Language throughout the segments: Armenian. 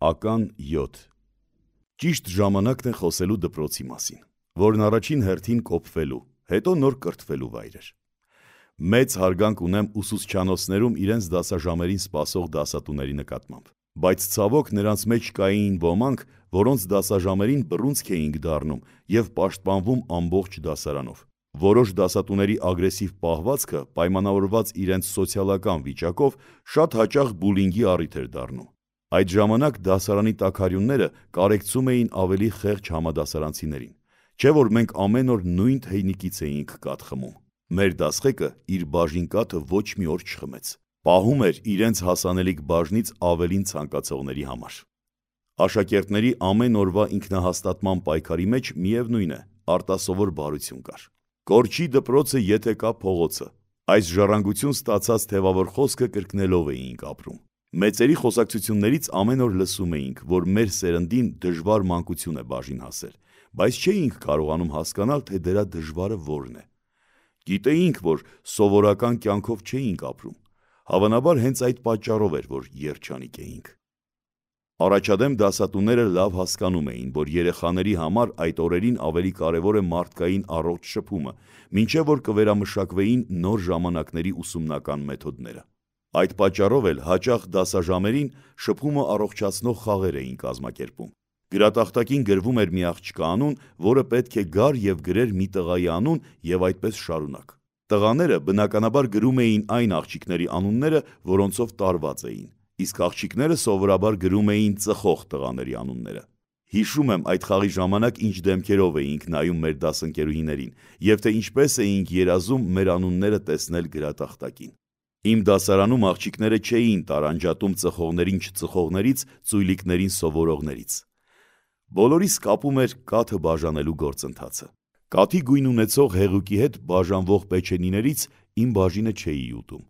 Ական 7 Ճիշտ ժամանակն է խոսելու դպրոցի մասին, որն առաջին հերթին կոփվելու, հետո նոր կրթվելու վայր էր։ Մեծ հարգանք ունեմ ուսուցչանոցներում իրենց դասաժամերին սպասող դասատուների նկատմամբ, բայց ցավոք նրանց մեջ կային ոմանք, որոնց դասաժամերին բռունցք էինք դառնում և պաշտպանվում ամբողջ դասարանով։ Որոշ դասատուների ագրեսիվ պահվածքը պայմանավորված իրենց սոցիալական վիճակով շատ հաճախ բուլինգի առիթ էր դառնում։ Այդ ժամանակ դասարանի տաքարյունները կարեկցում էին ավելի խեղճ համադասարանցիներին, չէ որ մենք ամեն օր նույն թեյնիկից էինք կաթ խմում։ Մեր դասղեկը իր բաժին կաթը ոչ մի օր չխմեց, պահում էր իրենց հասանելիք բաժնից ավելին ցանկացողների համար։ Աշակերտների ամեն օրվա ինքնահաստատման պայքարի մեջ միևնույն է, արտասովոր բարություն կար։ Կորչի դպրոցը եթե կա փողոցը, այս ժառանգություն ստացած թևավոր խոսքը կրկնելով էինք ապրում։ Մեծերի խոսակցություններից ամեն օր լսում էինք, որ մեր սերնդին դժվար մանկություն է բաժին հասել, բայց չէինք կարողանում հասկանալ, թե դրա դժվարը որն է։ Գիտեինք, որ սովորական կյանքով չէինք ապրում, հավանաբար հենց այդ պատճառով էր, որ երջանիկ էինք։ Առաջադեմ դասատուները լավ հասկանում էին, որ երեխաների համար այդ օրերին ավելի կարևոր է մարդկային առողջ շփումը, մինչև որ կվերամշակվեին նոր ժամանակների ուսումնական մեթոդները։ Այդ պատճառով էլ հաճախ դասաժամերին շփումը առողջացնող խաղեր էին կազմակերպում։ Գրատախտակին գրվում էր մի աղջկա անուն, որը պետք է գար և գրեր մի տղայի անուն և այդպես շարունակ։ Տղաները բնականաբար գրում էին այն աղջիկների անունները, որոնցով տարված էին, իսկ աղջիկները սովորաբար գրում էին ծխող տղաների անունները։ Հիշում եմ այդ խաղի ժամանակ ինչ դեմքերով էինք նայում մեր դասընկերուհիներին և թե ինչպես էինք երազում մեր անունները տեսնել գրատախտակին։ Իմ դասարանում աղջիկները չէին տարանջատում ծխողներին չծխողներից, ծույլիկներին սովորողներից։ Բոլորիս կապում էր կաթը բաժանելու գործընթացը։ Կաթի գույն ունեցող հեղուկի հետ բաժանվող պեչենիներից իմ բաժինը չէի ուտում։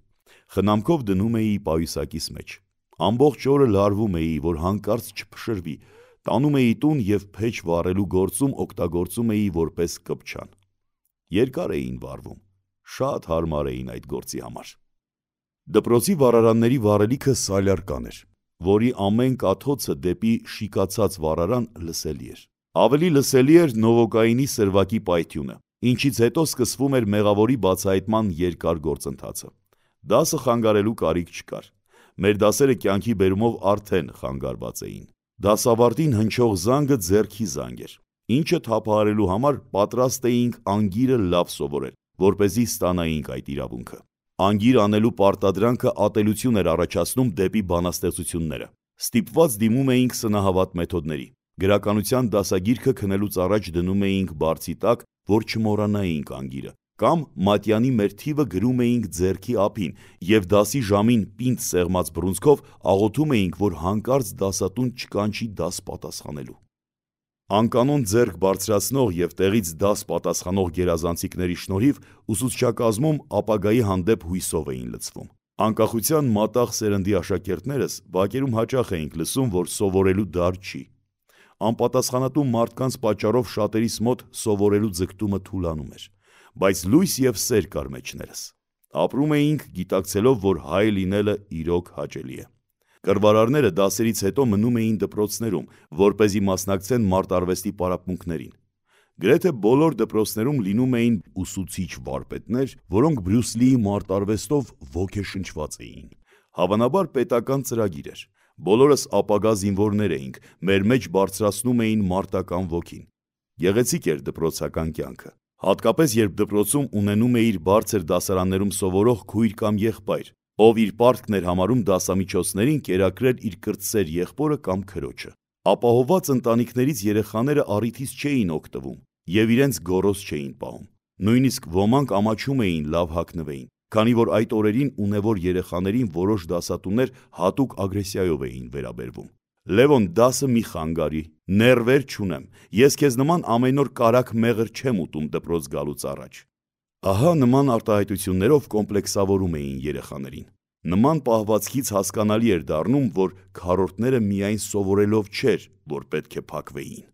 Խնամքով դնում էի պայուսակիս մեջ։ Ամբողջ օրը լարվում էի, որ հանկարծ չփշրվի, տանում էի տուն և փեչ վառելու գործում օգտագործում էի որպես կպչան։ Երկար էին վառվում, շատ հարմար էին այդ գործի համար։ Դպրոցի վառարանների վառելիքը սալյարկան էր, որի ամեն կաթոցը դեպի շիկացած վառարան լսելի էր։ Ավելի լսելի էր նովոկայինի սրվակի պայթյունը, ինչից հետո սկսվում էր մեղավորի բացահայտման երկար գործընթացը։ Դասը խանգարելու կարիք չկար։ Մեր դասերը կյանքի բերումով արդեն խանգարված էին։ Դասավարտին հնչող զանգը ձեռքի զանգ էր, ինչը թափահարելու համար պատրաստ էինք անգիրը լավ սովորել, որպեսզի ստանայինք այդ իրավունքը։ Անգիր անելու պարտադրանքը ատելություն էր առաջացնում դեպի բանաստեղծությունները։ Ստիպված դիմում էինք սնահավատ մեթոդների։ Գրականության դասագիրքը քնելուց առաջ դնում էինք բարձի տակ, որ չմոռանայինք անգիրը, կամ մատյանի մեր թիվը գրում էինք ձեռքի ափին և դասի ժամին պինդ սեղմած բռունցքով աղոթում էինք, որ հանկարծ դասատուն չկանչի դաս պատասխանելու։ Անկանոն ձեռք բարձրացնող և տեղից դաս պատասխանող գերազանցիկների շնորհիվ ուսուցչակազմում ապագայի հանդեպ հույսով էին լցվում։ Անկախության մատաղ սերնդի աշակերտներս բակերում հաճախ էինք լսում, որ սովորելու դար չի։ Անպատասխանատու մարդկանց պատճառով շատերիս մոտ սովորելու ձգտումը թուլանում էր, բայց լույս և սեր կար մեջներս։ Ապրում էինք գիտակցելով, որ հայ լինելը իրոք հաճելի է։ Կռվարարները դասերից հետո մնում էին դպրոցներում, որպեսզի մասնակցեն մարտարվեստի պարապմունքներին։ Գրեթե բոլոր դպրոցներում լինում էին ուսուցիչ վարպետներ, որոնք Բրյուս Լիի մարտարվեստով ոգեշնչված էին։ Հավանաբար պետական ծրագիր էր։ Բոլորս ապագա զինվորներ էինք, մեր մեջ բարձրացնում էին մարտական ոգին։ Գեղեցիկ էր դպրոցական կյանքը, հատկապես երբ դպրոցում ունենում էիր բարձր դասարաններում սովորող քույր կամ եղբայր, ով իր պարտքն էր համարում դասամիջոցներին կերակրել իր կրտսեր եղբորը կամ քրոջը։ Ապահովված ընտանիքներից երեխաները առիթից չէին օգտվում և իրենց գոռոզ չէին պահում։ Նույնիսկ ոմանք ամաչում էին լավ հագնվեին, քանի որ այդ օրերին ունևոր երեխաներին որոշ դասատուներ հատուկ ագրեսիայով էին վերաբերվում։ Լևոն, դասը մի խանգարի, նեռվեր չունեմ, ես քեզ նման ամեն օր կարագ մեղր չեմ ուտում դպրոց գալուց առաջ։ Ահա նման արտահայտություններով կոմպլեքսավորում էին երեխաներին։ Նման պահվածքից հասկանալի էր դառնում, որ քառորդները միայն սովորելով չէր, որ պետք է փակվեին։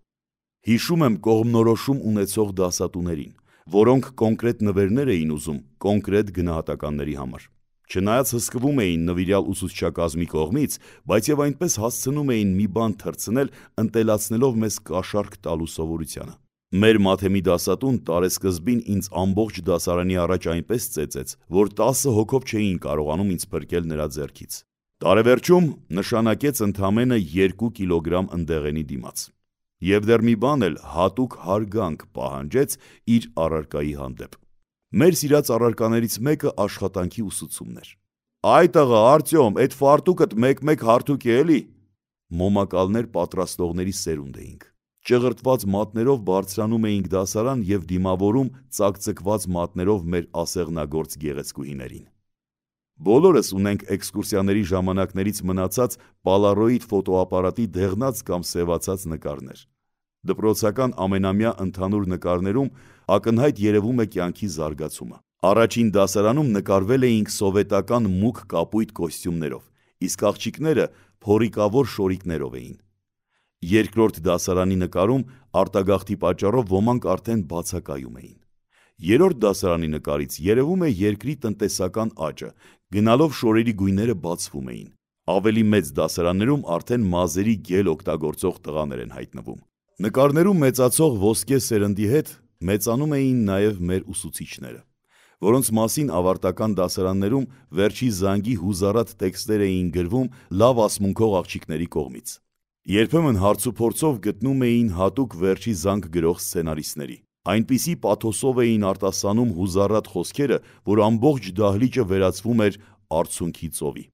Հիշում եմ կողմնորոշում ունեցող դասատուներին, որոնք կոնկրետ նվերներ էին ուզում կոնկրետ գնահատականների համար։ Չնայած հսկվում էին նվիրյալ ուսուցչակազմի կողմից, բայց եւ այնպես հասցնում էին մի բան թռցնել, ընտելացնելով մեզ կաշառք տալու սովորությանը։ Մեր մաթեմի դասատուն տարեսկզբին ինձ ամբողջ դասարանի առաջ այնպես ծեծեց, որ 10 հոգով չէին կարողանում ինձ փրկել նրա ձեռքից։ Տարեվերջում նշանակեց ընդամենը 2 կիլոգրամ ընդեղենի դիմաց։ Եվ դեռ մի բան էլ հատուկ հարգանք պահանջեց իր առարկայի հանդեպ։ Մեր սիրած առարկաներից մեկը աշխատանքի ուսուցումն էր։ «Այ տղա, Արտյոմ, այդ ֆարտուկդ մեկ-մեկ հարթուկ է էլի»։ Մոմակալներ պատրաստողների սերունդ էինք։ Ճղրտված մատներով բարձրանում էինք դասարան եւ դիմավորում ծակծկված մատներով մեր ասեղնագործ գեղեցկուհիներին։ Բոլորս ունենք էքսկուրսիաների ժամանակներից մնացած պալարոիդ ֆոտոապարատի դեղնած կամ սևացած նկարներ։ Դպրոցական ամենամյա ընդհանուր նկարներում ակնհայտ երևում է կյանքի զարգացումը։ Առաջին դասարանում նկարվել էինք սովետական մուգ կապույտ կոստյումներով, իսկ աղջիկները փորիկավոր շորիկներով էին։ Երկրորդ դասարանի նկարում արտագաղթի պատճառով ոմանք արդեն բացակայում էին։ Երրորդ դասարանի նկարից երևում է երկրի տնտեսական աճը, գնալով շորերի գույները բացվում էին։ Ավելի մեծ դասարաններում արդեն մազերի գել օգտագործող տղաներ են հայտնվում։ Նկարներում մեծացող ոսկե սերնդի հետ մեծանում էին նաև մեր ուսուցիչները, որոնց մասին ավարտական դասարաններում վերջի զանգի հուզառատ տեքստեր էին գրվում լավ ասմունքող աղջիկների կողմից։ Երբեմն հարցուփորձով գտնում էին հատուկ վերջի զանգ գրող սցենարիստների։ Այնպիսի պաթոսով էին արտասանում հուզառատ խոսքերը, որ ամբողջ դահլիճը վերածվում էր արցունքի ծովի։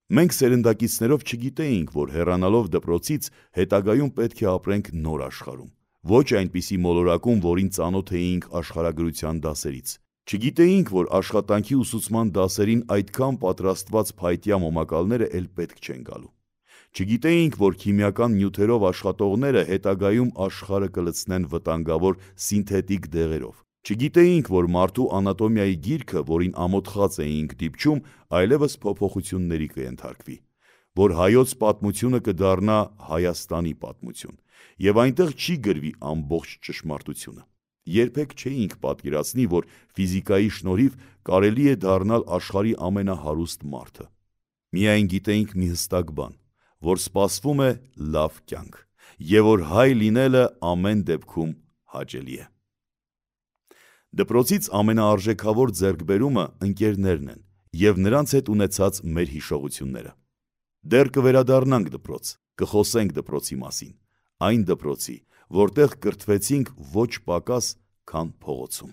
Մենք սերնդակիցներով չգիտեինք, որ հեռանալով դպրոցից հետագայում պետք է ապրենք նոր աշխարհում, ոչ այնպիսի մոլորակում, որին ծանոթ էինք աշխարհագրության դասերից։ Չգիտեինք, որ աշխատանքի ուսուցման դասերին այդքան պատրաստված փայտյա մոմակալները էլ պետք չեն գալու։ Չգիտեինք, որ քիմիական նյութերով աշխատողները հետագայում աշխարհը կլցնեն վտանգավոր սինթետիկ դեղերով։ Չգիտեինք, որ մարդու անատոմիայի գիրքը, որին ամոթխած էինք դիպչում, այլևս փոփոխությունների կենթարկվի, որ հայոց պատմությունը կդառնա Հայաստանի պատմություն, եւ այնտեղ չի գրվի ամբողջ ճշմարտությունը։ Երբեք չէինք պատկերացնի, որ ֆիզիկայի շնորհիվ կարելի է դառնալ աշխարհի ամենահարուստ մարդը։ Միայն գիտեինք մի հստակ բան, որ սպասվում է լավ կյանք, եւ որ հայ լինելը ամեն դեպքում հաճելի է։ Դպրոցից ամենաարժեքավոր ձեռքբերումը ընկերներն են եւ նրանց հետ ունեցած մեր հիշողությունները։ Դեռ կվերադառնանք դպրոց, կխոսենք դպրոցի մասին, այն դպրոցի, որտեղ կրթվեցինք ոչ պակաս, քան փողոցում։